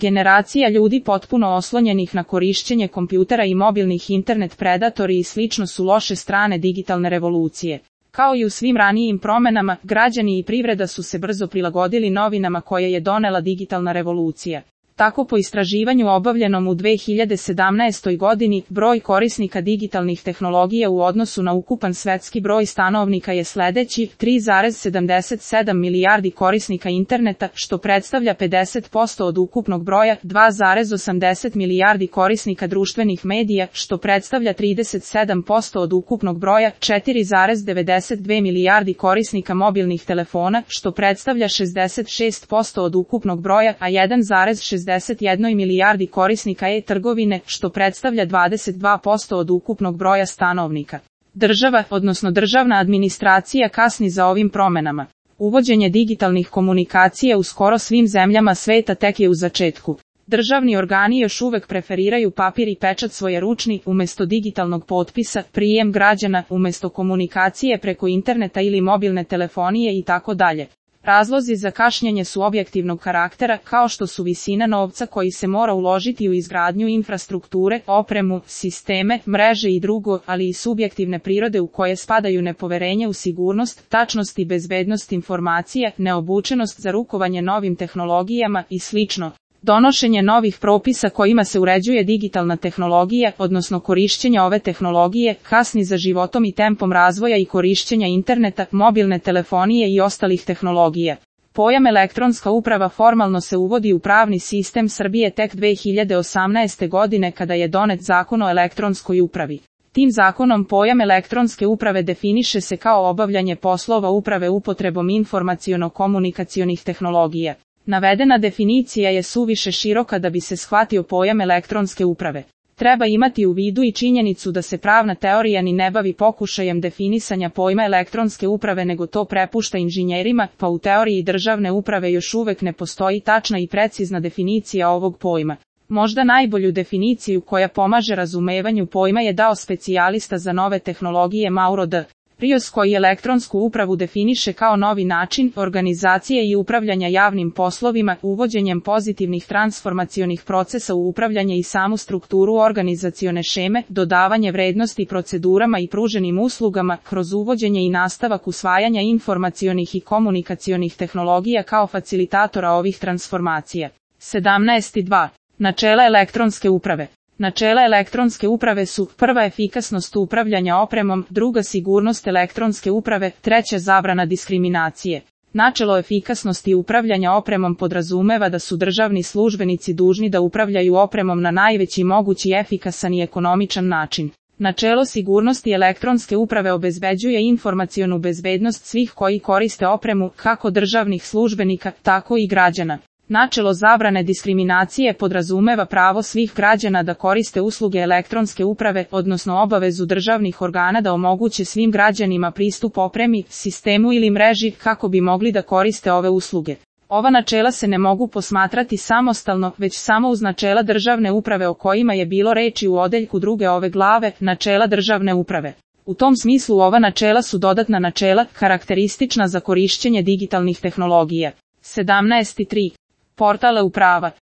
Generacija ljudi potpuno oslonjenih na korišćenje kompjutera i mobilnih internet predatori i slično su loše strane digitalne revolucije. Kao i u svim ranijim promenama, građani i privreda su se brzo prilagodili novinama koje je donela digitalna revolucija. Tako po istraživanju obavljenom u 2017. godini, broj korisnika digitalnih tehnologija u odnosu na ukupan svetski broj stanovnika je sledeći: 3,77 milijardi korisnika interneta, što predstavlja 50% od ukupnog broja, 2,80 milijardi korisnika društvenih medija, što predstavlja 37% od ukupnog broja, 4,92 milijardi korisnika mobilnih telefona, što predstavlja 66% od ukupnog broja, a 1,61 milijardi korisnika e-trgovine, što predstavlja 22% od ukupnog broja stanovnika. Država, odnosno državna administracija, kasni za ovim promenama. Uvođenje digitalnih komunikacija u skoro svim zemljama sveta tek je u začetku. Državni organi još uvek preferiraju papir i pečat svojeručni umesto digitalnog potpisa, prijem građana umesto komunikacije preko interneta ili mobilne telefonije itd. Razlozi za kašnjenje su objektivnog karaktera, kao što su visina novca koji se mora uložiti u izgradnju infrastrukture, opremu, sisteme, mreže i drugo, ali i subjektivne prirode u koje spadaju nepoverenje u sigurnost, tačnost i bezbednost informacija, neobučenost za rukovanje novim tehnologijama i slično. Donošenje novih propisa kojima se uređuje digitalna tehnologija, odnosno korišćenje ove tehnologije, kasni za životom i tempom razvoja i korišćenja interneta, mobilne telefonije i ostalih tehnologija. Pojam elektronska uprava formalno se uvodi u pravni sistem Srbije tek 2018. godine kada je donet Zakon o elektronskoj upravi. Tim zakonom pojam elektronske uprave definiše se kao obavljanje poslova uprave upotrebom informaciono-komunikacionih tehnologija. Navedena definicija je suviše široka da bi se shvatio pojam elektronske uprave. Treba imati u vidu i činjenicu da se pravna teorija ni ne bavi pokušajem definisanja pojma elektronske uprave nego to prepušta inženjerima, pa u teoriji državne uprave još uvek ne postoji tačna i precizna definicija ovog pojma. Možda najbolju definiciju koja pomaže razumevanju pojma je dao specijalista za nove tehnologije Mauro D. Rios, koji elektronsku upravu definiše kao novi način organizacije i upravljanja javnim poslovima, uvođenjem pozitivnih transformacionih procesa u upravljanje i samu strukturu organizacione šeme, dodavanje vrednosti procedurama i pruženim uslugama, kroz uvođenje i nastavak usvajanja informacionih i komunikacionih tehnologija kao facilitatora ovih transformacija. 17.2. Načela elektronske uprave. Načela elektronske uprave su: prva, efikasnost upravljanja opremom, druga, sigurnost elektronske uprave, treća, zabrana diskriminacije. Načelo efikasnosti upravljanja opremom podrazumeva da su državni službenici dužni da upravljaju opremom na najveći mogući efikasan i ekonomičan način. Načelo sigurnosti elektronske uprave obezbeđuje informacionu bezbednost svih koji koriste opremu, kako državnih službenika, tako i građana. Načelo zabrane diskriminacije podrazumeva pravo svih građana da koriste usluge elektronske uprave, odnosno obavezu državnih organa da omoguće svim građanima pristup opremi, sistemu ili mreži kako bi mogli da koriste ove usluge. Ova načela se ne mogu posmatrati samostalno, već samo uz načela državne uprave o kojima je bilo reči u odeljku 2. ove glave, načela državne uprave. U tom smislu ova načela su dodatna načela, karakteristična za korišćenje digitalnih tehnologija. 17.3. Portal e-uprava.